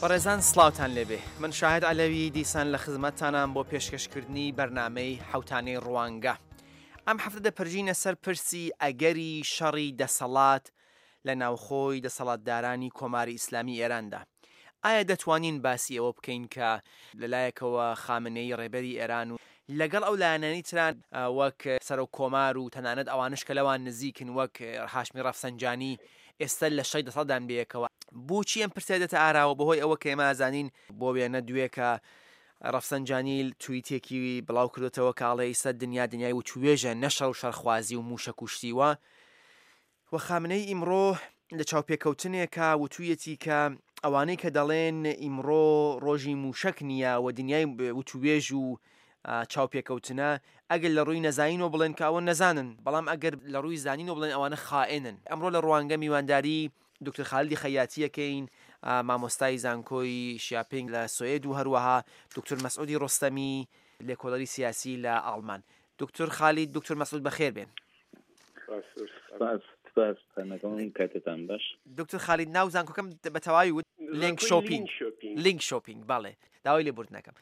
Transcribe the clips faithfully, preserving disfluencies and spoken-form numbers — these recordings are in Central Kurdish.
بەڕێزان سڵاوتان لێبێ، من شاهد عەلەوی دیسان لە خزمەتتانام بۆ پێشکەشکردنی بەرنامەی حەوتانەی ڕوانگە. ئەم هەفتە دەپەرژینە سەر پرسی ئەگەری شەڕی دەسەڵات لە ناوخۆی دەسەڵاتدارانی کۆماری ئیسلامی ئێراندا. ئایا دەتوانین باسی ئەوە بکەین کە لەلایەکەوە خامنەیی ڕێبەری ئێران و لەگەڵ ئەو لایەنانەی تران وەک سەرۆک کۆمار و تەنانەت ئەوانش کە لەوان نزیکن وەک هاشمی ڕەفسەنجانی ئێستا لە شەڕی دەسەڵاتدان بەیەکەوە؟ بۆچی ئەم پرسیارە دێتە ئاراوە؟ بەهۆی ئەوە کە ئێمە ئەزانین بۆ وێنە دوێکە ڕەفسەنجانی تویتێکی بڵاو کردوتەوە کە ئەڵێ ئیستا دنیا دنیای وتوێژە نە شەڕ و شەڕخوازی و مووشەک و شتی وا. و خامنەی ئیمڕۆ لە چاوپێکەوتنێکا وتوویەتی کە ئەوانەی کە دەڵێن ئیمڕۆ ڕۆژی مووشەک نییە و دنیای وتوێژ و چاوپێکەوتنە، ئەگەر لە ڕووی نەزانینەوە بڵێن کە ئەوە نەزانن، بەڵام ئەگەر لە ڕووی زانینەوە بڵێن ئەوانە خائنن. ئەمڕۆ لە ڕوانگە میوانداری دکتۆر خالیدی خەیاتیەکەین، مامۆستای زانکۆی شیاپینگ لە سوئد و هەروەها دکتۆر مەسعودی ڕۆستەمی لێکۆڵەری سیاسی لە ئاڵمان. دکتۆر خالید، دکتۆر مەسعود بەخێر بێن. کاتتان باش. دکتۆر خالید، ناو زانکۆکەم بە تەواوی وت لینک شۆپینگ، لینک شۆپینگ، بەڵێ داوای لێبوردنەکەم.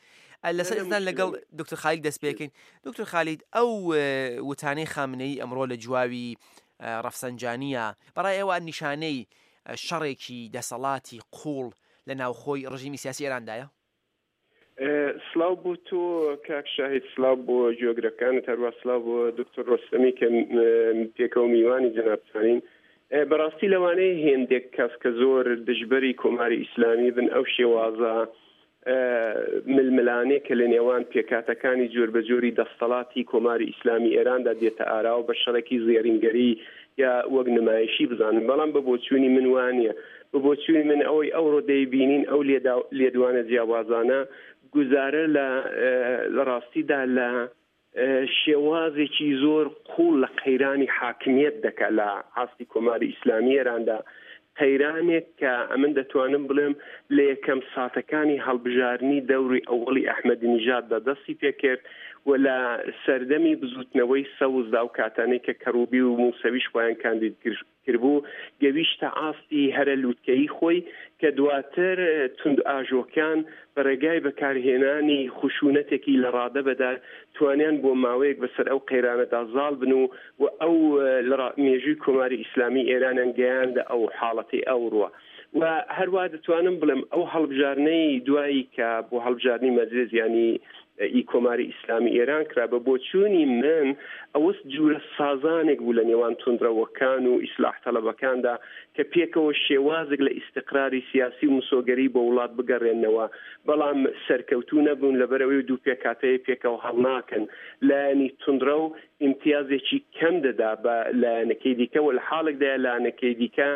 لەسەر ئێستا لەگەڵ دکتۆر خالید دەست پێکەین. دکتۆر خالید، ئەو وتانەی خامنەیی ئەمڕۆ لە جواوی ڕەفسەنجانیە، بەڕای ئێوە نیشانەی شەڕێکی دەسەڵاتی قوڵ لە ناوخۆی ڕژیمی سیاسی ئێراندایە؟ سلاو بۆ تۆ کاک شاهید، سلاو بۆ گوێگرەکانت، هەروە سلاو بۆ دکتۆر ڕۆستەمی کە پێکەوە میوانی جەنابتانین. بەڕاستی لەوانەیە هێندێک کەس کە زۆر دژبەری کۆماری ئیسلامی بن ئەو شێوازە ململانێ کە لە نێوان پێکاتەکانی جۆربەجۆری دەستەڵاتی کۆماری ئیسلامی ئێراندا دێتە ئاراوە بە شەڕێکی زێڕینگەری یا وەک نمایشی بزانن، بەڵام بە بۆچوونی من وانییە. بە بۆچوونی من ئەوەی ئەوڕۆ دەیبینین ئەو لێدوانە جیاوازانە گوزارە لە ڕاستیدا لە شێوازێکی زۆر قوڵ لە قەیرانی حاکمیەت دەکات لە ئاستی کۆماری ئیسلامی ئێراندا. قەیرانێک کە ئەمن دەتوانم بڵێم لە یەکەم ساتەکانی هەڵبژاردنی دەوری ئەوەڵی ئەحمەدی نژاددا دەستی پێکرد و لە سەردەمی بزوتنەوەی سەوزدا و کاتانەی کە کەڕوبی و موسەویش خۆیان کاندید کردبوو گەویشتە ئاستی هەرە لووتکەیی خۆی کە دواتر توند ئاژۆکان بە ڕێگای بەکارهێنانی خشونەتێکی لە ڕادە بەدار توانیان بۆ ماوەیەک بەسەر ئەو قەیرانەدا زاڵ بن و و ئەو مێژووی کۆماری ئیسلامی ئێرانیان گەیاندە ئەو حاڵەتی ئەوڕوە. و هەروە دەتوانم بڵێم ئەو هەڵبژاردنەی دوایی کە بۆ هەڵبژاردنی مەجلس یانی ئی کۆماری ئیسلامی ئێران کرا، بە بۆچوونی من ئەوەس جوورە سازانێک بوو لە نێوان توندڕەوەکان و ئیسلاح تەلەبەکاندا کە پێکەوە شێوازێک لە ئیستقراری سیاسی و مسۆگەری بۆ وڵات بگەڕێنەوە، بەڵام سەرکەوتوو نەبوون لەبەرەوەی دوو پێکاتەیە پێکەوە هەڵناکەن. لایەنی توندڕەو ئیمتیازێکی کەم دەدا بە لایەنەکەی دیکە و لە حاڵێکدایە لایەنەکەی دیکە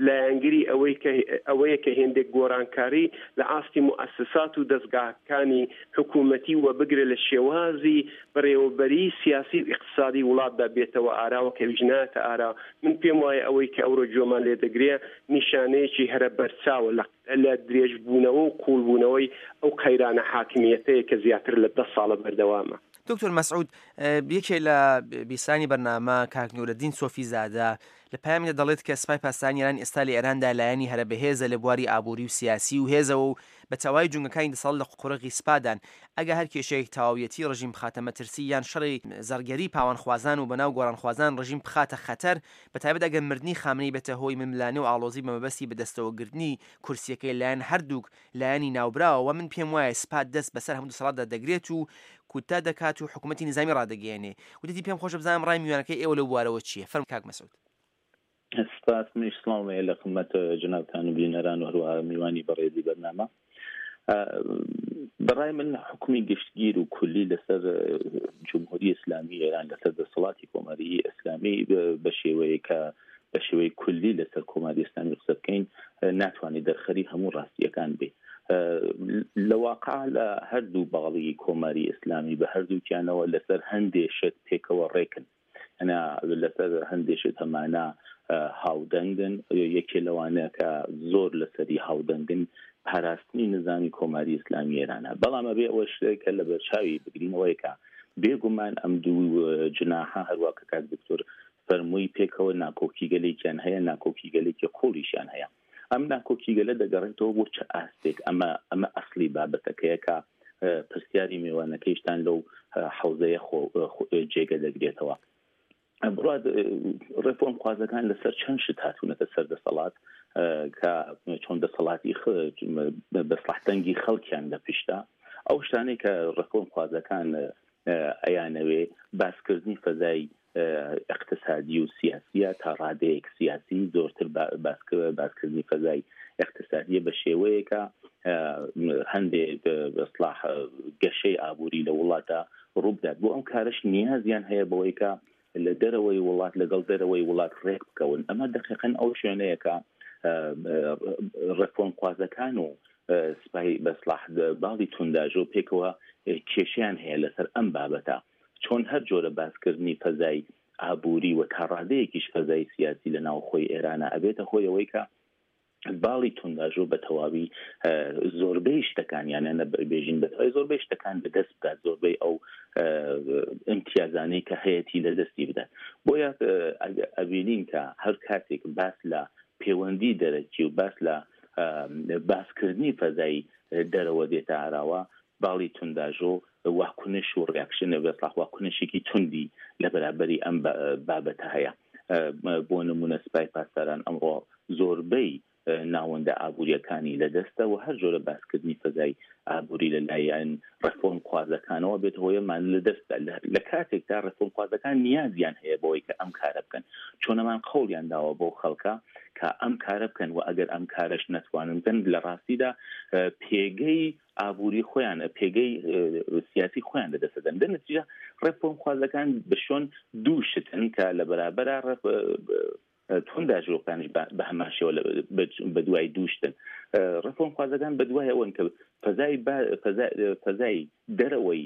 لایەنگری ئەوەی کە ئەوەیە کە هێندێک گۆڕانکاری لە ئاستی مؤسسات و دەستگاکانی حکوومەتی و بگرە لە شێوازی بەڕێوەبەری سیاسی و ئیقتصادی وڵاتدا بێتەوە ئاراوە کە ویش نایەتە ئارا. من پێم وایە ئەوەی کە ئەوڕۆ گوێمان لێدەگرێ نیشانەیەکی هەرە بەرچاوە لە درێژبوونەوە و قوڵبوونەوەی ئەو قەیرانە حاکمیەتەیە کە زیاتر لە دە ساڵە بەردەوامە. دکتۆر مەسعود، یەکێ لە بیسانی بەرنامە کاک نورەدین سۆفیزادە لە پەیامیدا دەڵێت کە سپای پاسدارانی ئێران ئێستا لە ئێراندا لایەنی هەرە بەهێزە لە بواری ئابووری و سیاسی و هێزەوە و بە تەواوی جونگەکانی دەسەڵات لە قورغی سپادان. ئەگە هەر کێشەیەک تەواویەتی ڕژیم بخاتە مەترسی یان شەڕی زەڕگەری پاوانخوازان و بەناو گۆڕانخوازان ڕژیم بخاتە خەتەر، بە تایبەت ئەگەر مردنی خامنەیی بێتە هۆی ململانێ و ئاڵۆزی بە مەبەستی بەدەستەوەگرتنی کورسیەکەی لایەن هەردووک لایەنی ناوبراوە، من پێم وایە سپاد دەست بەسەر هەموو دەسەڵاتدا دەگرێت و کوتا دەکات و حکوومەتی نظامی ڕادەگەیەنێ. وتێتی پێم خۆشە بزانم ڕای میوانەکەی ئێوە لەو بوارەوە چییە؟ فەرموو کاک مەسعود. سپاس. منیش سڵاوم هەیە لە خدمەت جەنابتان و بینەران و هەروەها میوانی بەڕێزی بەرنامە. بەڕای من حکومی گشتگیر و کولی لەسەر جمهوری ئیسلامی ئێران، لەسەر دەسەڵاتی کۆماری ئیسلامی بە شێوەیە کە بە شێوەی کولی لەسەر کۆماری ئیسلامی قسە بکەین ناتوانێت دەرخەری هەموو ڕاستیەکان بێ. لە واقع لە هەردوو باڵی کۆماری ئیسلامی بە هەردووکیانەوە لەسەر هەندێ شت پێکەوە ڕێکن، ئەنا لەسەر هەندێ شت هەمانە هاودەنگن. یەکێ لەوانە کە زۆر لەسەری هاودەنگن پاراستنی نظامی کۆماری ئیسلامی ئێرانە. بەڵام ئەبێ ئەوە شتێک کە لە بەرچاوی بگرینەوەی کە بێگومان ئەم دوو جناحە هەروە کە کاک دکتۆر فەرمووی پێکەوە ناکۆکیگەلێکیان هەیە، ناکۆکیگەلێکی قوڵیشیان هەیە. ئەم ناکۆکیگەلە دەگەڕێتەوە بۆ چ ئاستێک؟ ئەمە ئەمە ئەسلی بابەتەکەیە کە پرسیاری میوانەکەیشتان لەو حوزەیە جێگە دەگرێتەوە. بڕات ڕێفۆرم خوازەکان لەسەر چەند شت هاتوونەتە سەر دەسەڵات کە چۆن دەسەڵاتی بەسڵح دەنگی خەڵکیان لە پشتا. ئەو شتانەی کە ڕێفۆرم خوازەکان ئەیانەوێ باسکردنی فەزای اقتصادی و سیاسیە تا ڕادەیەک سیاسی، زۆرتر باسکردنی فەزای اقتصادیە بە شێوەیەکە هەندێک بەسڵاح گەشەی ئابووری لە وڵاتە ڕووبدات. بۆ ئەم کارش نیازیان هەیە بەوەی کە لە دەرەوەی وڵات لەگەڵ دەرەوەی وڵات ڕێک بکەون. ئەمە دقیقاً ئەو شوێنەیەکە ڕێفۆرمخوازەکان و سپای بەسڵاح باڵی تونداژۆ پێکەوە کێشیان هەیە لەسەر ئەم بابەتە. چۆن هەر جۆرە باسکردنی فەزای ئابووری و تا ڕادەیەکیش فەزای سیاسی لە ناوخۆی ئێرانە ئەبێتە هۆی ئەوەی کە باڵی تونداژۆ بە تەواوی زۆربەی شتەکان، یانە بێژین بە تەواوی زۆربەی شتەکان بەدەست بدات، زۆربەی ئەو ئیمتیازانەی کە هەیەتی لە دەستی بدات. بۆیە ئەبینین کە هەر کاتێک باس لە پەیوەندی دەرەکی و باس لە باسکردنی فەزای دەرەوە دێتە ئاراوە، باڵی تونداژۆ واکنش و reaction بەسڵاح واکنشێکی توندی لە بەرابەری ئەم بابەتە هەیە. بۆ نمونە سپای پاسداران ئەمڕۆ زۆربەی ناوەندە ئابووریەکانی لەدەستە و هەر جۆرە باسکردنی فەزای ئابووری لەلایەن ڕێفۆرم خوازەکانەوە بێت هۆیەمان لەدەستدا. لە کاتێکدا ڕێفۆرم خوازەکان نیازیان هەیە بەوەی کە ئەم کارە بکەن، چۆنەمان قەوڵیان داوە بۆ خەڵکە کە ئەم کارە بکەن و ئەگەر ئەم کارەش نەتوانن بکەن لە ڕاستیدا پێگەی ئابووری خۆیان، پێگەی سیاسی خۆیان لەدەستدەن. دە نەتیجە ڕێفۆرم خوازەکان بە شۆن دوو شتن کە لە بەرابەرە تونداژۆکانیش بە هەمان شێوە بە دوای دووشتن. ڕێفۆرمخوازەکان بە دوای ئەوەن کە فەزای دەرەوەی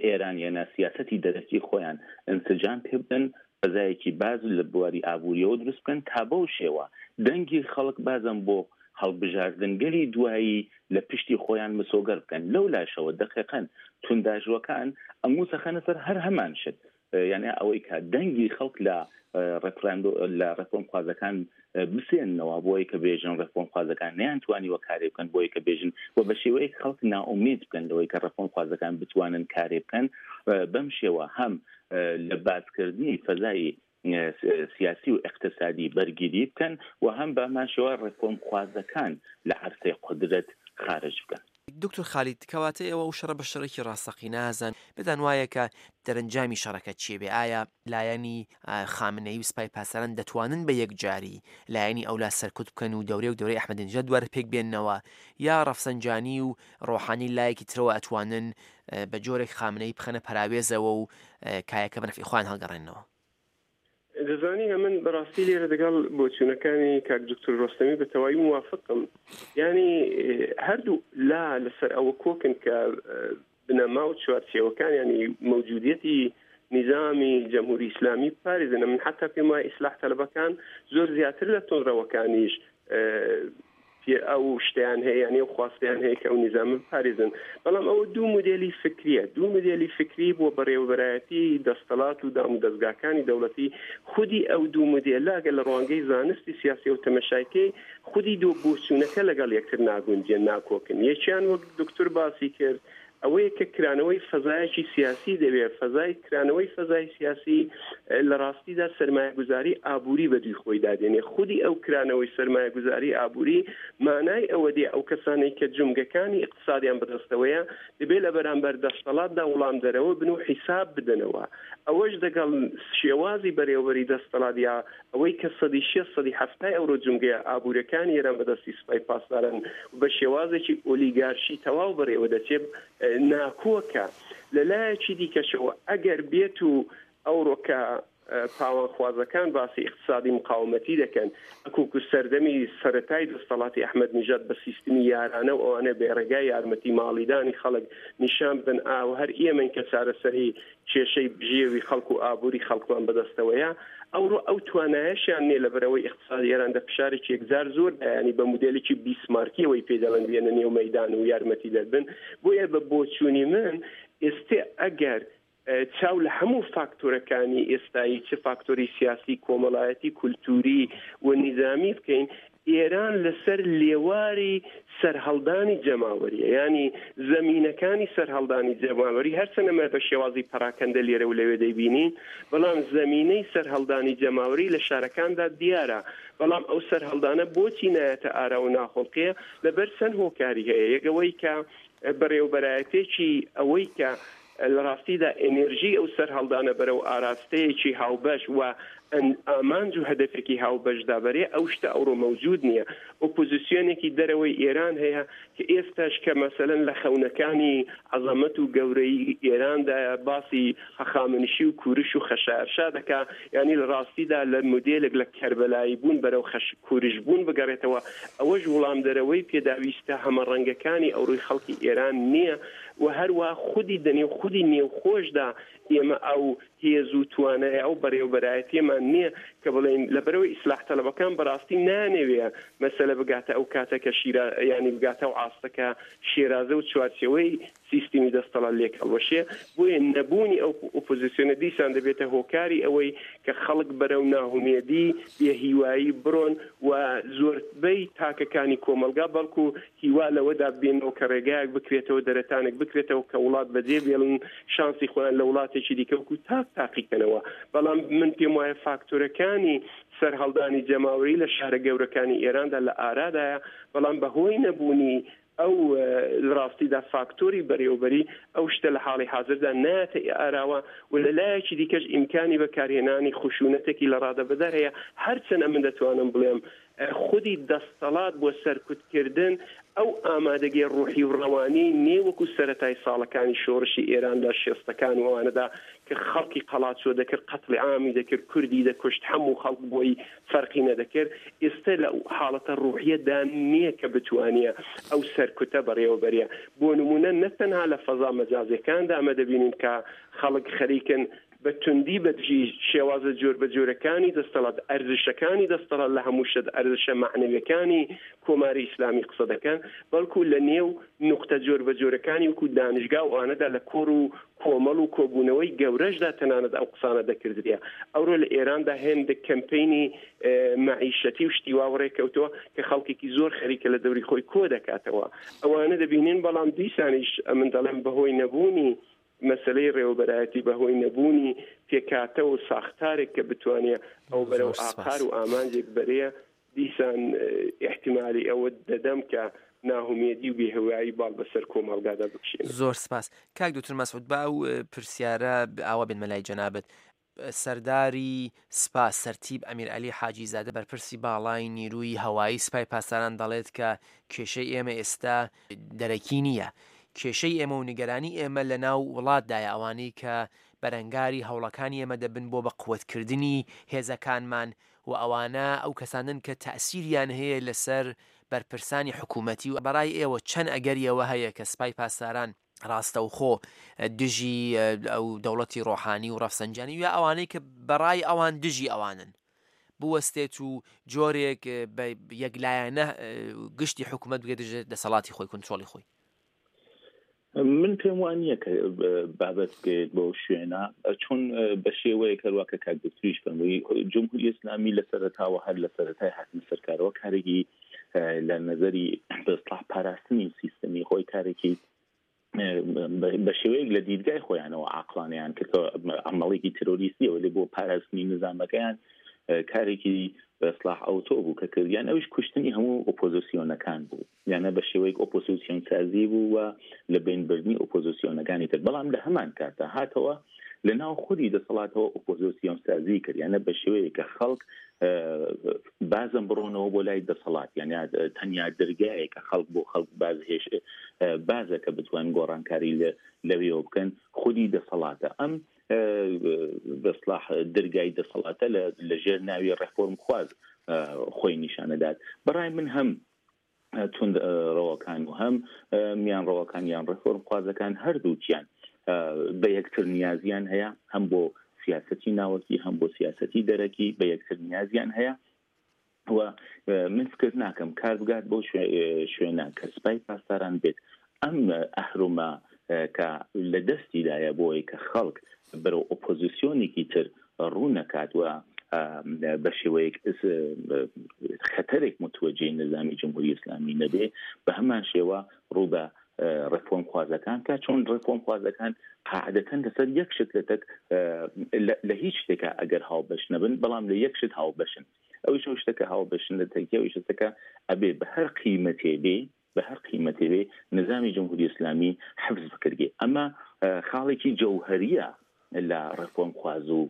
ئێران یانە سیاسەتی دەرەکی خۆیان ئینسجام پێ بدەن، فەزایەکی باز لە بواری ئابووریەوە دروست بکەن تا بەو شێوە دەنگی خەڵک بازم بۆ هەڵبژاردنگەلی دوایی لە پشتی خۆیان مسۆگەر بکەن. لەو لاشەوە دقیقاً تونداژوەکان ئەموسەخەنە سەر هەر هەمان شت، یعنی ئەوەی کە دەنگی خەڵک لە ڕێفراندۆ لە ڕێفۆرمخوازەکان بسێننەوە بۆی کە بێژن ڕێفۆرمخوازەکان نەیانتوانیوە کارێ بکەن، بۆی کە بێژن و بە شێوەیەک خەڵک نائومێد بکەن لەوەی کە ڕێفۆرمخوازەکان بتوانن کارێ بکەن. بەم شێوە هەم لە باسکردنی فەزای سیاسی و اقتصادی بەرگیری بکەن و هەم بەمان شێوە ڕێفۆرمخوازەکان لە عەرسەی قودرەت خارج بکەن. دکتۆر خالید، کەواتە ئێوە ئەو شەڕە بە شەڕێکی ڕاستەقینە نازان، بێتان وایە کە دەرەنجامی شەڕەکە چییە بێ؟ ئایا لایەنی خامنەیی و سپای پاسداران دەتوانن بە یەکجاری لایەنی ئەولا سەرکوت بکەن و دەورێ و دەورەی ئەحمەدی دوارە پێک بێننەوە، یا ڕەفسەنجانی و ڕۆحانی لایەکی ترەوە ئەتوانن بە جۆرێک خامنەیی بخەنە پەراوێزەوە و کایەکە بە نەفعی خۆیان هەڵگەڕێننەوە؟ دەزانی ئەمن بەڕاستی لێرە دەگەڵ بۆچوونەکانی کاک دکتۆر ڕۆستەمی بە تەواوی موافقم. یعنی هەردوو لا لەسەر ئەوە کۆکن کە بنەما و چوارچێوەکان، یعنی مەوجودیەتی نظامی جمهوری ئیسلامی بپارێزن. من حتی پێم وایە ئیسلاح تەلەبەکان زۆر زیاتر لە توندڕەوەکانیش ئەو شتیان هەیە، یعنی ئەو خواستیان هەیە کە ئەو نظامە بپارێزن. بەڵام ئەوە دوو مدێلی فکریە، دوو مدێلی فکری بۆ بەڕێوەبەرایەتی دەستەڵات و دام و دەستگاکانی دەوڵەتی. خودی ئەو دوو مدێلە ئەگەر لە ڕوانگەی زانستی سیاسی و تەمەشایکەی خودی دوو بۆچوونەکە لەگەڵ یەکتر ناگونجێن، ناکۆکن. یەکیان وەک دکتۆر باسی کرد ئەوەیە کە کرانەوەی فەزایەکی سیاسی دەوێت. فەزای کرانەوەی فەزای سیاسی لە ڕاستیدا سەرمایەگوزاری ئابووری بەدووی خۆی دادێنێ. خودی ئەو کرانەوەی سەرمایەگوزاری ئابووری مانای ئەوە دێ ئەو کەسانەی کە جومگەکانی اقتصادیان بەدەستەوەیە دەبێت لە بەرامبەر دەستەڵاتدا وڵام دەرەوە بن و حیساب بدەنەوە. ئەوەش دەگەڵ شێوازی بەرێوەبەری دەستەڵات یا ئەوەی کە سەدی شێست سەدی حەفتای ئەورۆ جومگەیە ئابوورەکانی ئێران بەدەستی سوپای پاسداران بە شێوازێکی ئۆلیگارشی تەواو بەڕێوە دەچێت ناکۆکە. لەلایەکی دیکەشەوە ئەگەر بێت و ئەوڕۆکە پاوانخوازەکان باسی اقتصادی مقاومەتی دەکەن، ئەکوکو سەردەمی سەرەتای دەستەڵاتی ئەحمەد نژاد بە سیستمی یارانە و ئەوانە بێ ڕێگای یارمەتی ماڵیدانی خەڵک نیشان بدەن ئاو هەر ئێمەین کە چارەسەری کێشەی بژێوی خەڵک و ئابووری خەڵکمان بەدەستەوەیە، ئەوڕۆ ئەو توانایەشیان نییە لەبەرەوەی اقتصادی ئێران دە فشارێکی یەکجار زۆر دایانی بە مدێلێکی بیسمارکیەوەی پێ دەڵێن بێنە نێو مەیدان و یارمەتی دەربن. بۆیە بە بۆچوونی من ئێستێ ئەگەر چاو لە هەموو فاکتۆرەکانی ئێستایی، چ فاکتۆری سیاسی، کۆمەڵایەتی، کولتوری و نیزامی بکەین، ئێران لەسەر لێواری سەرهەڵدانی جەماوەریە، ینی زەمینەکانی سەرهەڵدانی جەماوەری هەرچەند ئەمە بە شێوازی پەراکەندە لێرە و لەوێ دەیبینین، بەڵام زەمینەی سەرهەڵدانی جەماوەری لە شارەکاندا دیارە. بەڵام ئەو سەرهەڵدانە بۆچی نایەتە ئارا و ناخۆڵقیە؟ لەبەر چەند هۆکاری هەیە. یەکەوەی کە بەڕێوبەرایەتێکی ئەوەی کە لە ڕاستیدا ئەنێرژی ئەو سەرهەڵدانە بەرەو ئاراستەیەکی هاوبەش و ئامانج و هەدەفێکی هاوبەشدا بەرێ، ئەو شتە ئەوڕۆ مەوجود نییە. ئۆپۆزیسیۆنێکی دەرەوەی ئێران هەیە کە ئێستاش کە مەسەلەن لە خەونەکانی عەزەمەت و گەورەی ئێراندا باسی هەخامنشی و کورش و خەشایارشا دەکا، یعنی لە ڕاستیدا لە مۆدێلێک لە کەربەلایی بوون بەرەو خەش کورش بوون بگەڕێتەوە. ئەوەش وڵام دەرەوەی پێداویستە هەمەڕەنگەکانی ئەوڕۆی خەڵکی ئێران نییە و هەروە خودی دەنێو خودی نێوخۆشدا ئێمە ئەو هێز و توانای ئەو بەڕێوبەرایەتیمان نییە کە بڵێن لەبەرەوەی ئیسلاح تەلەبەکان بەڕاستی نانەوێ مەسەلە بگاتە ئەو کاتە کە شیرا ینی بگاتە ئەو ئاستەکە شێرازە و چوارچێوەی سیستمی دەستەڵات لێک هەڵوەشێ. بۆیە نەبوونی ئەو ئۆپۆزیسیۆنە دیسان دەبێتە هۆکاری ئەوەی کە خەڵک بەرەو ناهومێدی بێهیوایی بڕۆن و زۆربەی تاکەکانی کۆمەلگا، بەڵکو هیوا لەوەدا بێنەوە کە ڕێگایەک بکرێتەوە، دەرەتانێک بکرێتەوە کە وڵات بەجێ بێڵن، شانسی خۆیان لە وڵاتێکی دیکە وەکو تاک تاقیکەنەوە. بەڵام من پێم وایە فاکتۆرەکانی سەرهەڵدانی جەماوەری لە شارە گەورەکانی ئێراندا لە ئارادایە، بەڵام بەهۆی نەبوونی ئەو ڕاستیدا فاکتۆری بەرێوبەری ئەو شتە لە حاڵی حاضردا نایەتە ئاراوە و لە لایەکی دیکەش ئیمکانی بەکارهێنانی خشونەتێکی لە ڕادەبەدەر هەیە. هەرچەند ئەمن دەتوانم بڵێم خودی دەستەڵات بۆ سەرکوتکردن ئەو ئامادەگی ڕوحی و ڕەوانی نێوەکو سەرەتای ساڵەکانی شۆڕشی ئێران لە شێستەکان و ئەوانەدا کە خەڵکی قەڵاچۆ دەکرد، قەتڵی عامی دەکرد، کوردی دەکوشت، هەموو خەڵک بۆی فەرقی نەدەکرد. ئێستا لە حاڵەتە ڕوحیەدا نییە کە بتوانیە ئەو سەرکوتە بەڕێوەبەریە. بۆ نمونە نە تەنها لە فەزا مەجازیەکاندا ئەمە دەبینین کە خەڵک خەریکن بە توندی بەدژی شێوازە جۆر بە جۆرەکانی دەستەڵات، ئەرزشەکانی دەستەڵات لە هەموو شت ئەرزشە مەعنەویەکانی کۆماری ئیسلامی قسە دەکەن، بەڵکو لە نێو نقطە جۆر بە جۆرەکانی وەکو دانشگا و ئەوانەدا لە کۆڕ و کۆمەڵ و کۆبوونەوەی گەورەشدا تەنانەت ئەو قسانە دەکردرێ. ئەوڕۆ لە ئێراندا هێندێک کەمپەینی مەعیشەتی و شتی وا ڕێکەوتەوە کە خەڵکێکی زۆر خەریکە لە دەوری خۆی کۆ دەکاتەوە. ئەوانە دەبینین، بەڵام دیسانیش ئەمن دەڵێم بەهۆی نەبوونی مەسلەی ڕێوەبەرایەتی، بەهۆی نەبوونی پێکاتە و ساختارێک کە بتوانێت ئەو بەرەو ئاقار و ئامانجێک بەرێ، دیسان احتیمالی ئەوە دەدەم کە ناهومێدی و بێهوایی باڵ بەسەر کۆمەڵگادا بکشێنێت. زۆر سپاس کاک دکتۆر مەسعود. با ئەو پرسیارە ئاوا بێنمە لای جەنابت. سەرداری سپا سەرتیب ئەمیر عەلی حاجی زادە بەرپرسی باڵای نیروی هەوایی سپای پاسداران دەڵێت کە کێشەی ئێمە ئێستا دەرەکی نییە، کێشەی ئێمە و نیگەرانی ئێمە لە ناو وڵاتدایە، ئەوانەی کە بەرەنگاری هەوڵەکانی ئێمە دەبن بۆ بە قوتکردنی هێزەکانمان و ئەوانە ئەو کەسانن کە تەئسیریان هەیە لەسەر بەرپرسانی حکوومەتی. و بەڕای ئێوە چەند ئەگەریەوە هەیە کە سپای پاسداران ڕاستەوخۆ دژی ئەو دەوڵەتی ڕۆحانی و ڕەفسەنجانی یا ئەوانەی کە بەڕای ئەوان دژی ئەوانن بوەستێت و جۆرێک بە یەکلایەنە گشتی حکوومەت بگێت دژ دەسەڵاتی خۆی، کنترۆڵی خۆی؟ من پێم وان نییە کە بابەت بگەیت بەو شوێنە، چون بە شێوەیەک هەروە کە کاک دکتۆریش فەرمووی جمهوری ئیسلامی لە سەرەتاوە هەر لە سەرەتای هاتنە سەرکارەوە کارێکی لە نظری بە ئیسلاح پاراستنی سیستمی خۆی کارێکی بە شێوەیەک لە دیدگای خۆیانەوە عاقڵانەیان کرد کە عەمەڵێکی ترۆریستیەوە لێ بۆ پاراستنی نظامەکەیان کارێکی بە ئیسلاح ئەوتۆ بوو کە کردیان، ئەویش کوشتنی هەموو ئۆپۆزیسیۆنەکان بوو، یانە بە شێوەیەک ئۆپۆزیسیۆن سازی بوو و لە بینبردنی ئۆپۆزیسیۆنەکانی تر. بەڵام لە هەمان کاتە هاتەوە لە ناو خودی دەسەڵاتەوە ئۆپۆزیسیۆن سازی کرد، یانە بە شێوەیەک کە خەڵک بازم بڕۆنەوە بۆ لای دەسەڵات، یعنی تەنیا دەرگایە کە خەڵک بۆ خەڵک باز هێش بازە کە بتوان گۆڕانکاری لەوێەوە بکەن خودی دەسەڵاتە. ئەم بەسلاح دەرگای دەسەڵاتە لە ژێر ناوی ڕێفۆرم خواز خۆی نیشانەدات. بەڕای من هەم توند ڕەوەکان و هەم میان ڕەوەکان یان ڕێفۆرم خوازەکان هەردووکیان بە یەکتر نیازیان هەیە، هەم بۆ سیاسەتی ناوەکی هەم بۆ سیاسەتی دەرەکی بە یەکتر نیازیان هەیە. و من فکر ناکەم کار بگات بۆ شوێنە کە سپای پاسداران بێت ئەم ئەهرۆمە کە لە دەستیدایە بۆی کە خەڵک بەرەو ئۆپۆزیسیۆنێکی تر ڕوو نەکات و بە شێوەیەک خەتەرێک متوەجهی نظامی جمهوری ئیسلامی نەبێ، بە هەمان شێوە ڕوو بە ڕێفۆرمخوازەکان کە چۆن ڕێفۆرمخوازەکان قاعدەتەن لەسەر یەک شت لەتەک لە هیچ شتێکە ئەگەر هاوبەش نەبن، بەڵام لە یەک شت هاوبەشن. ئەویش ئەو شتەکە هاوبەشن لە تەکیە، ئەویش شتەکە ئەبێ بە هەر قیمەتێ بێ، بە هەر قیمەتێ بێ نظامی جمهوری ئیسلامی حفظ بکرێ. ئەمە خاڵێکی جەوهەریە لە ڕێفۆرمخواز و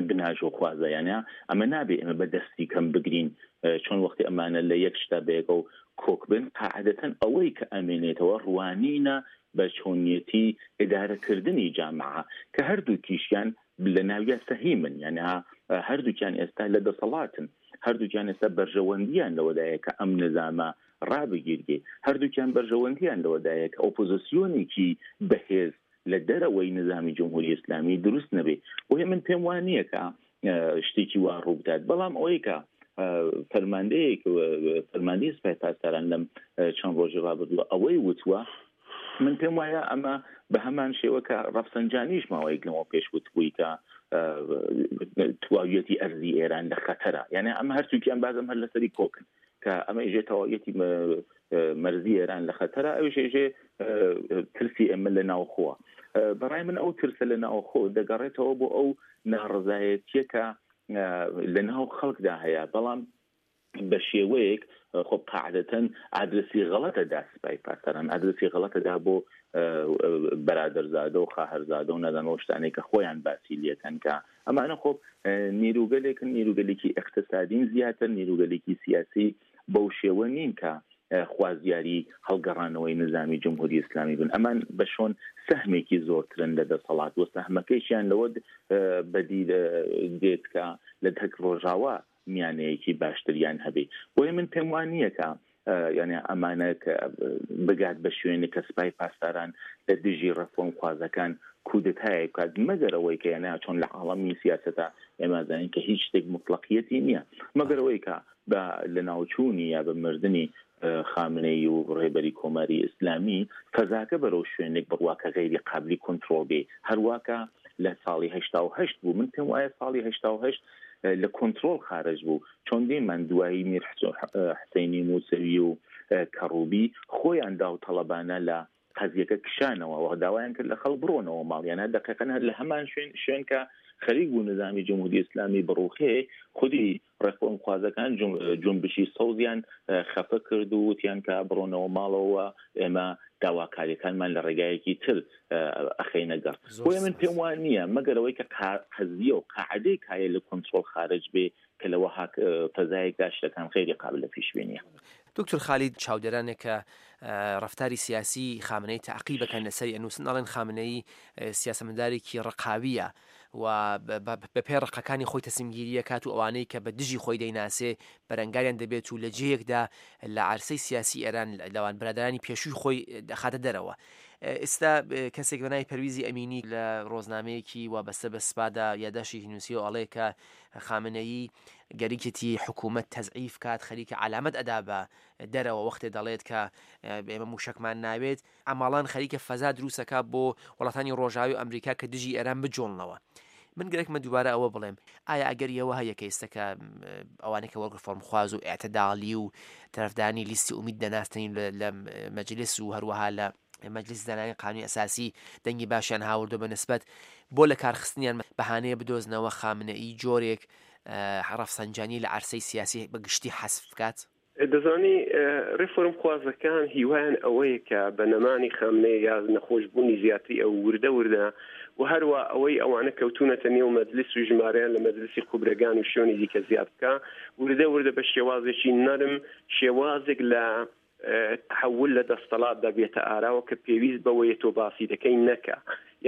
بناژۆخوازە، یانە ئەمە نابێ ئێمە بە دەستی کەم بگرین، چۆن وەختی ئەمانە لە یەک شتا بەیەکە و کۆک بن، قاعدەتەن ئەوەی کە ئەمێنێتەوە ڕوانینە بە چۆنیەتی ئیدارەکردنی جامعە کە هەردووکیشیان لە ناویا سەهیمن، یعنی هەردووکیان ئێستا لە دەسەڵاتن، هەردووکیان ئێستا بەرژەوەندیان لەوەدایە کە ئەم نظامە ڕابگیرگێ، هەردووکیان بەرژەوەندیان لەوەدایە کە ئۆپۆزیسیۆنێکی بەهێز لە دەرەوەی نظامی جمهوری ئیسلامی دروست نەبێ. بۆیە من پێم وان نییە کە شتێکی وا ڕوو بدات، بەڵام ئەوەی کە فەرماندەیەک فەرماندەی سپای پاسداران لەم چەند ڕۆژی ڕابردووە ئەوەی وتووە، من پێم وایە ئەمە بە هەمان شێوە کە ڕەفسەنجانیش ماوەیەک لەمەوە پێش وتبووی کە تواویەتی ئەرزی ئێران لە خەتەرە، یعنی ئەمە هەرچووکیان بازم هەر لەسەری کۆکن کە ئەمە ئێژێ تەواویەتی مەرزی ئێران لە خەتەرە، ئەویش ئێژێ ترسی ئێمە لە ناوخۆوە. بەڕای من ئەو ترسە لە ناوخۆ دەگەڕێتەوە بۆ ئەو ناڕەزایەتیە کە لە ناو خەڵکدا هەیە، بەڵام بە شێوەیەک خۆ قاعدەتەن ئادرسی غەڵەتە دا سپای پاسداران، ئادرسی غەڵەتە دا بۆ بەرادەرزادە و خاهەرزادە و نازانم شتانێک کە خۆیان باسی لێکەن کە ئەمانە خۆ نیروگەلێکن، نیروگەلێکی ئیقتسادین زیاتر، نیروگەلێکی سیاسی بەو شێوە نین کە خوازیاری هەڵگەڕانەوەی نظامی جمهوری ئیسلامی بن. ئەمان بە شۆن سەهمێکی زۆرترن لە دەسەڵات و سەهمەکەیشیان لەوە بەدی دێت کە لە تەک ڕۆژاوا میانەیەکی باشتریان هەبێ. بۆیە من پێم وان نییە کە یعنی ئەمانە کە بگات بە شوێنێک کە سپای پاسداران لە دژی ڕێفۆرمخوازەکان کودەتایەک بکات، مەگەر ئەوەی کە یعنی چۆن لە عاڵەمی سیاسەتە ئێمە زانین کە هیچ شتێک مطلقیەتی نییە، مەگەر ئەوەی کە بە لەناوچوونی یا بە مردنی خامنەیی و ڕێبەری کۆماری ئیسلامی فەزاکە بەرەو شوێنێک بڕوا کە غەیری قابلی کۆنترۆڵ بێ، هەرواکە لە ساڵی هەشتا و هەشت بوو. من پێم وایە ساڵی هەشتا و هەشت لە کۆنترۆڵ خارج بوو، چۆن دیمان دوایی میر حسەینی موسەوی و کەڕوبی خۆیان داو تەڵەبانە لە قەزیەکە کشانەوە و داوایان کرد لە خەڵک بڕۆنەوە ماڵیانە. دقیقاً هەر لە هەمان شوێن شوێن کە خەریک بوو نظامی جمهوری ئیسلامی بڕوخێ، خودی ڕێفۆرمخوازەکان جونبشی سەوزیان خەفە کرد و وتیان کە بڕۆنەوە ماڵەوە، ئێمە داواکاریەکانمان لە ڕێگایەکی تر ئەخەینە گەڕ. بۆیە من پێم وان نییە مەگەر ئەوەی کە قەزیە و قاعدەی کایە لە کۆنترۆڵ خارج بێ کە لەوەها فەزایەکدا شتەکان غەیری قابل لە پیشبینیە. دکتۆر خالید، چاودێرانێک کە ڕەفتاری سیاسی خامنەیی تەعقیبەکەن لەسەری ئەنووسن، ئەڵێن خامنەیی سیاسەتمەدارێکی ڕقاویە و بە پێی ڕقەکانی خۆی تەسلیمگیریە کات و ئەوانەی کە بە دژی خۆی دەیناسێ بەرەنگاریان دەبێت و لە جێیەکدا لە عەرسەی سیاسی ئێران لەوان برادرانی پێشووی خۆی دەخاتە دەرەوە. ئێستا کەسێک بە ناوی پەرویزی ئەمینی لە ڕۆزنامەیەکی وابەستە بە سپادا یاداشێکی نووسیەوە ئەڵێ کە خامنەیی گەریکێتی حکوومەت تەزعیف کات، خەریکە عەلامەت ئەدا بە دەرەوە وەختێ دەڵێت کە ئێمە موشەکمان ناوێت، ئەماڵان خەریکە فەزا دروستەکە بۆ وڵاتانی ڕۆژاوی ئەمریکا کە دژی ئێران بجۆڵنەوە. من گەرەکمە دووبارە ئەوە بڵێم، ئایا ئەگەر ئەوە هەیە کە ئێستا کە ئەوانەی کە وەک ڕێفۆرمخواز و ئێعتدالی و تەرەفدانی لیستی ئومید دەناستنین لە مەجلس و هەروەها لە مەجلس دانانی قانونی ئەساسی دەنگی باشیان هاوردو بە نسبەت بۆ لە کارخستنیان بەهانەیە بدۆزنەوە خامنەیی جۆرێک ڕەفسەنجانی لە عەرسەی سیاسی بە گشتی حەسف بکات؟ دەزانی ڕێفۆرمخوازەکان هیوایان ئەوەیە کە بە نەمانی خامنەیی یا نەخۆشبوونی زیاتری ئەو وردە وردە و هەروە ئەوەی ئەوانە کەوتونەتە نێو مەجلس و ژمارەیان لە مەجلسی خوبرەگان و شوێنی دیکە زیاد بکە، وردە وردە بە شێوازێکی نەرم شێوازێک لە تحول لە دەستەڵاتدا بێتە ئاراوە کە پێویست بەوەیە تۆ باسی دەکەی نەکە.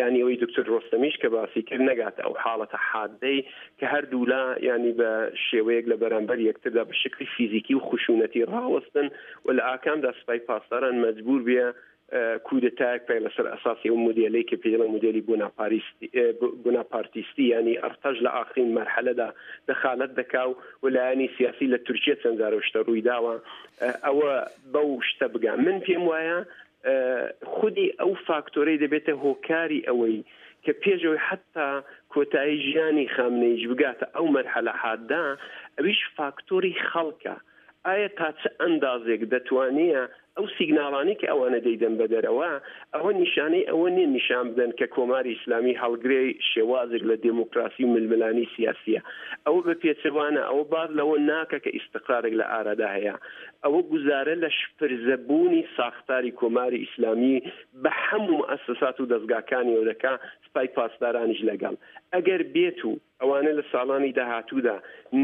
یعنی ئەوەی دکتۆر ڕۆستەمیش کە باسی کرد نەگاتە ئەو حاڵەتە حادەی کە هەردوولا یعنی بە شێوەیەک لە بەرامبەر یەکتردا بە شکلی فیزیکی و خشونەتی ڕاوەستن و لە ئاکامدا سپای پاسداران مەجبور بێ کودەتایەک پێ لەسەر ئەساسی ئەو مۆدێلەی کە پێی دەڵێن مۆدێلی بۆناپارتیستی، یعنی ئەرتەش لە ئاخرین مەرحەلەدا دەخالەت دەکا و لایەنی سیاسی لە تورکیە چەند جارە شتە ڕووی داوە ئەوە بەو شتە بگا. من پێم وایە خودی ئەو فاکتۆرەی دەبێتە هۆکاری ئەوەی کە پێشەوەی حتا کۆتایی ژیانی خامنەییش بگاتە ئەو مەرحەلە حاددا، ئەویش فاکتۆری خەڵکە. ئایا تا چ ئەندازێک دەتوانیە ئەو سیگناڵانەی کە ئەوانە دەیدەن بەدەرەوە، ئەوە نیشانەی ئەوە نییە نیشان بدەن کە کۆماری ئیسلامی هەڵگرێ شێوازێک لە دێموکراسی و ململانی سیاسیە. ئەوە بە پێچەوانە، ئەوە باز لەوە ناکە کە ئیستقرارێک لە ئارادا هەیە. ئەوە گوزارە لە شپرزەبوونی ساختاری کۆماری ئیسلامی بە هەموو مؤسسات و دەزگاکانیەوە دەکا، سپای پاسدارانیش لەگەڵ. ئەگەر بێت و ئەوانە لە ساڵانی داهاتوودا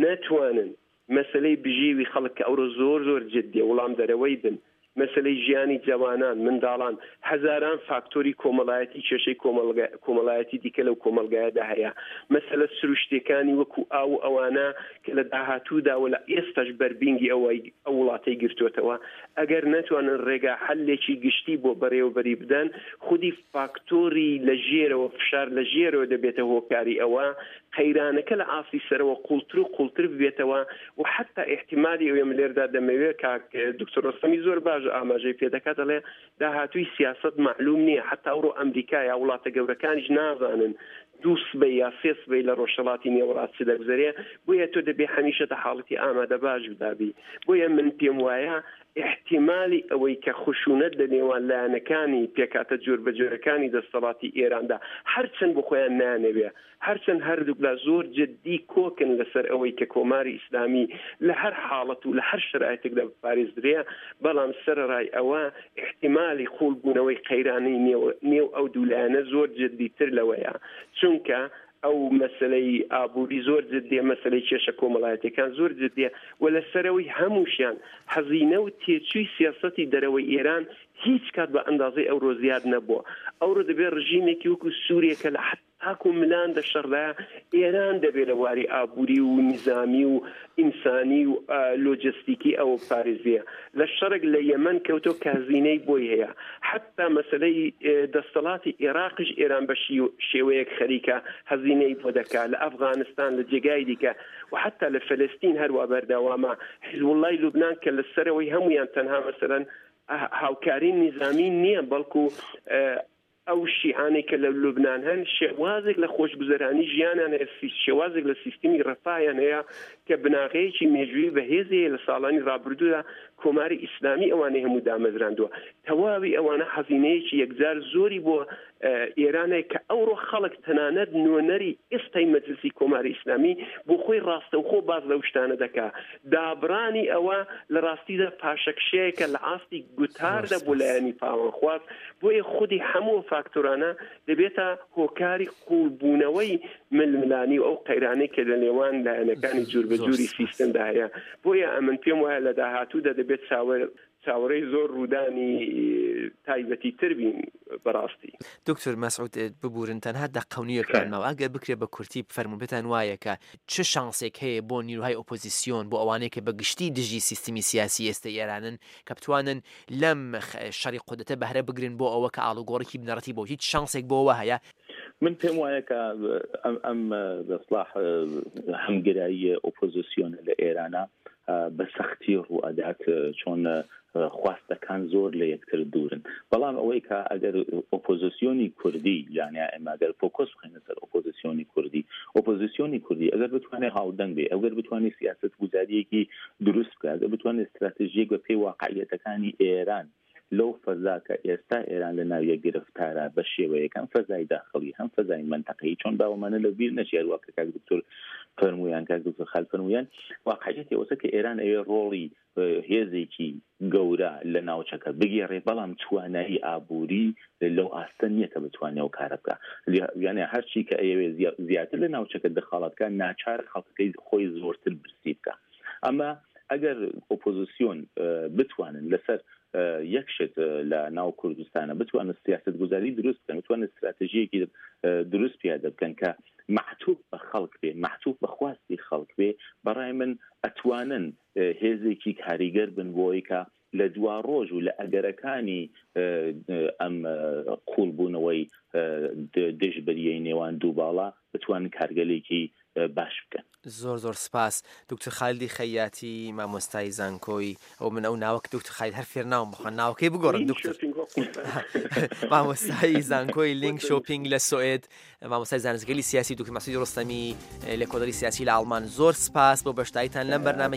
نەتوانن مەسلەی بژێوی خەڵک کە ئەوڕۆ زۆر زۆر جدیە وڵام دەرەوەی بن، مەسلەی ژیانی جەوانان، منداڵان، هەزاران فاکتۆری کۆمەڵایەتی، کێشەی کۆمەڵایەتی دیکە لەو کۆمەڵگایەدا هەیە، مەسەلە سروشتەکانی وەکو ئاو ئەوانە کە لە داهاتوودا و لە ئێستاش بەربینگی ئەوەی ئەو وڵاتەی گرتووەتەوە، ئەگەر نەتوانن ڕێگا حەلێکی گشتی بۆ بەڕێوەبەری بدەن، خودی فاکتۆری لە ژێرەوە، فشار لە ژێرەوە دەبێتە هۆکاری ئەوە قەیرانەکە لە ئاستی سەرەوە قوڵتر و قوڵتر ببێتەوە و حتا احتیمالی ئەوێ من لێردا دەمەوێت کاک دکتۆر ڕۆستەمی زۆر باش ئاماژەی پێدەکات، دەڵێ داهاتووی سیاسەت مەعلوم نییە، حتا ئەوڕۆ ئەمریکا یا وڵاتە گەورەکانیش نازانن دوو سبەی یا سێ سبەی لە ڕۆژهەڵاتی نێوەڕاست چ دەگوزەرێ، بۆیە تۆ دەبێ هەمیشە دە حاڵەتی ئامادە باش بدابی. بۆیە من پێم وایە احتیمالی ئەوەی کە خشونەت لە نێوان لایەنەکانی پێکاتە جۆربەجۆرەکانی دەستەڵاتی ئێراندا هەرچەند بۆ خۆیان نانەوێ، هەرچەند هەردووکلا زۆر جدی کۆکن لەسەر ئەوەی کە کۆماری ئیسلامی لە هەر حاڵەت و لە هەر شەرایتێکدا بپارێزدرێ، بەڵام سەرەڕای ئەوە احتیمالی قوڵبوونەوەی قەیرانی نێو ئەو دوو لایەنە زۆر جدیتر لەوەیە، چونکە ئەو مەسلەی ئابووری زۆر جدیە، مەسلەی کێشە کۆمەڵایەتیەکان زۆر جدیە و لەسەرەوەی هەمووشیان هەزینە و تێچووی سیاسەتی دەرەوەی ئێران هیچ کات بە ئەندازەی ئەورۆ زیاد نەبووە. ئەورۆ دەبێت ڕژیمێکی وەکو سووریە کە لە تاکو ملان دە شەڕدایە، ئێران دەبێت لە واری ئابووری و نیزامی و ئینسانی و لۆجستیکی ئەوە پارێزیە. لە شەڕێک لە یەمەن کەوتۆ کە هەزینەی بۆی هەیە، حتا مەسلەی دەستەڵاتی عێراقیش ئێران بە شێوەیەک خەریکە هەزینەی بۆ دەکا، لە ئەفغانستان، لە جێگای دیکە و حتا لە فلستین هەروە بەردەوامە. حیزبوڵڵای لوبناان کە لە سەرەوەی هەمویان تەنها مەسەلەن هاوکاری نیزامی نییە، بەڵکو ئەو شیعانەی کە لە لوبناان هەن شێوازێک لە خۆشگوزەرانی ژیانیان هەیە، شێوازێک لە سیستمی ڕەفایان هەیە کە بناغەیەکی مێژووی بەهێزەیە لە ساڵانی ڕابردوودا کۆماری ئیسلامی ئەوانەی هەموو دامەزراندووە. تەواوی ئەوانە هەزینەیەکی یەکجار زۆری بۆ ئێرانەیە کە ئەوڕۆ خەڵک تەنانەت نوێنەری ئێستای مەجلسی کۆماری ئیسلامی بۆ خۆی ڕاستەوخۆ باز لەو شتانە دەکا. دابرانی ئەوە لە ڕاستیدا پاشەکشەیەکە لە ئاستی گوتاردا بۆ لایەنی پاوانخواز، بۆیە خودی هەموو فاکتۆرانە دەبێتە هۆکاری قوڵبوونەوەی ململانی و ئەو قەیرانەی کە لە نێوان لایەنەکانی جۆربەجۆری سیستمدا هەیە. بۆیە ئەمن پێم وایە لە داهاتوودا دەبێت چاوەڕێی زۆر ڕوودانی تایبەتی تر بین بەڕاستی. دکتۆر مەسعود ببورن تەنها دەقەونیەکان ماوە، ئەگەر بکرێت بە کورتی بفەرموون پێتان وایە کە چ شانسێک هەیە بۆ نیروهای ئۆپۆزیسیۆن، بۆ ئەوانەیە کە بە گشتی دژی سیستمی سیاسی ئێستا ئێرانن کە بتوانن لەم شەڕی قودرەتە بەهرە بگرن بۆ ئەوە کە ئاڵوگۆڕێکی بنەڕەتی بۆ هیچ شانسێک بۆ ئەوە هەیە؟ من پێم وایە کە ئەم بەسڵاح هەمگرایی ئۆپۆزیسیۆن لە ئێرانە بە سەختی ڕوئەدات، چۆن خواستەکان زۆر لە یەکتر دوورن. بەڵام ئەوەی کە ئەگەر ئۆپۆزیسیۆنی کوردی، یعنی ئێمە ئەگەر فۆکۆس بخەینە سەر ئۆپۆزیسیۆنی کوردی، ئۆپۆزیسیۆنی کوردی ئەگەر بتوانێت هاودەنگ بێ، ئەگەر بتوانێت سیاسەت گوزاریەکی دروست بکات، ئەگەر بتوانێت استراتژیەک بە پێی واقعیەتەکانی ئێران لەو فەزا کە ئێستا ئێران لە ناویە گرفتارە بە شێوەیەک، هەم فەزای داخلی هەم فەزای منتەقەیی، چۆن باوەمانە لە بیر نەچێت وەک کاک دکتۆر فەرموویان، کاک دکتۆر خال فەرموویان، واقعیەتی ئەوەسە کە ئێران ئەوێ ڕۆڵی هێزێکی گەورە لە ناوچەکە بگێڕێ، بەڵام توانایی ئابووری لەو ئاستە نییە کە بتوانێت ئەو کارە بکە. یعنی هەرچی کە ئەیەوێ زیاتر لە ناوچەکە دەخاڵەت بکە، ناچار خەڵکەکەی خۆی زۆرتر برسی بکە. ئەمە ئەگەر ئۆپۆزیسیۆن بتوانن لەسەر یەک شت لە ناو کوردستانە بتوانن سیاست گوزاری دروست بکەن، بتوانن استراتژیەکی دروست پیادە بکەن کە مەعتوف بە خەڵک بێ، مەعتوف بە خواستی خەڵک بێ، بەڕای من ئەتوانن هێزێکی کاریگەر بن بۆی کە لە دوا ڕۆژ و لە ئەگەرەکانی ئەم قوڵبوونەوەی دژبەریەی نێوان دوو باڵا بتوانن کارگەلێکی باش بکەن. زۆر زۆر سپاس دکتۆر خالیدی خەیاتی مامۆستای زانکۆی ئەو من ئەو ناوەک دکتۆر خالید هەر فێر ناوم بخوان ناوەکەی بگۆڕن دکتۆر مامۆستای زانکۆی لینک شۆپینگ لە سوئد، مامۆستای زانستگەلی سیاسی، دکتۆر مەسعودی ڕۆستەمی لێکۆڵەری سیاسی لە ئاڵمان. زۆر سپاس بۆ بەشداریتان لەم بەرنامە.